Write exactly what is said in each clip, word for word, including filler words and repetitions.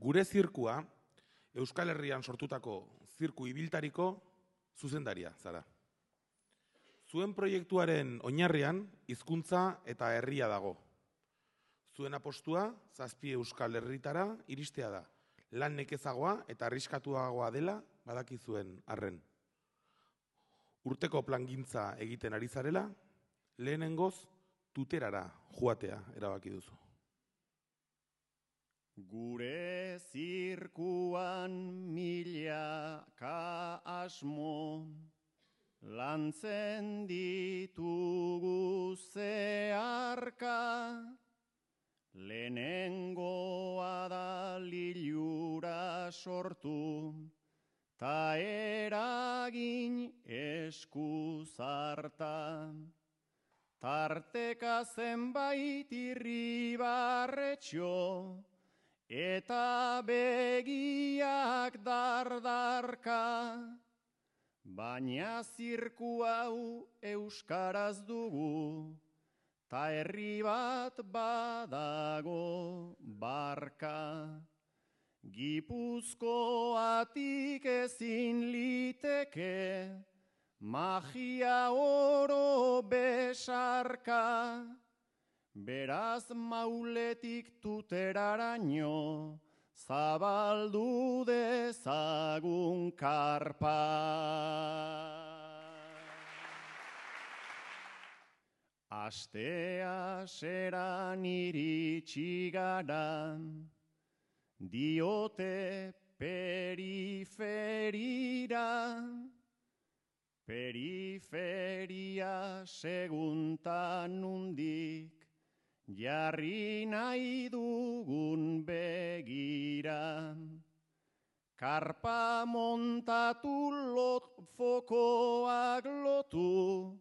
Gure zirkua, Euskal Herrian sortutako zirku ibiltariko zuzendaria zara. Zuen proiektuaren oinarrian hizkuntza eta herria dago. Zuen apostua zazpi Euskal Herritara iristea da. Lan nekezagoa eta arriskatuagoa dela badakizuen arren. Urteko plangintza egiten ari zarela, lehenengoz tuterara joatea erabaki duzu. Gure zirkuan milaka asmo, lantzen ditugu zeharka, lehenengoa da lilura sortu, ta eragin eskuzarta. Tarteka zenbait irribarretxo, eta begiak dardarka, baina zirku hau euskaraz dugu, ta herri bat badago barka. Gipuzkoatik ezin liteke, magia oro besarka, beraz mauletik tuteraraino, zabaldu dezagun karpa. Astea seran iritsi gara, diote periferira, periferia seguntan nundik, jarri nahi dugun begira. Karpa montatu lot fokoak lotu,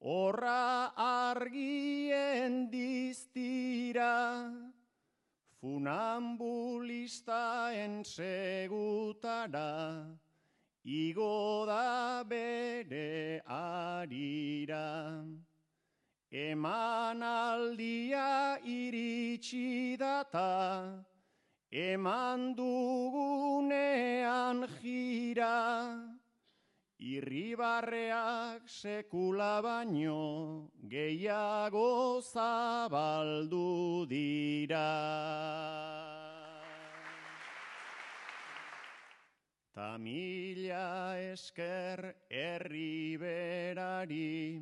horra argien diztira. Funambulistaen segutara, igo da bere arira. Eman aldia iritsi data, eman dugunean jira. Irribarreak sekula baino, gehiago zabaldu dira. Ta mila esker herri berari,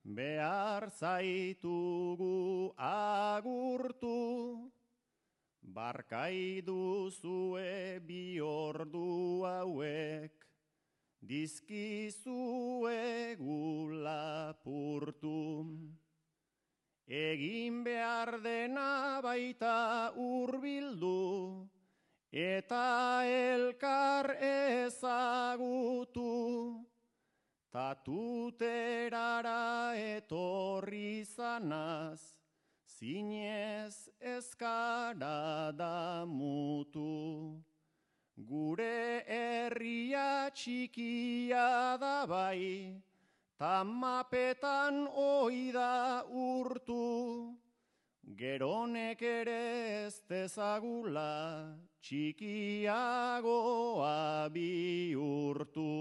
behar zaitugu agurtu, barkai duzue bi ordu hauek, dizkizue lapurtu. Egin behar dena baita hurbildu, eta elkar ezagutu. Tatuterara etorri zanaz, zinez ezkara damutu. Gure herria txikia da bai, ta mapetan oida urtu. Geronek ere ez dezagula, txikiagoa bihurtu.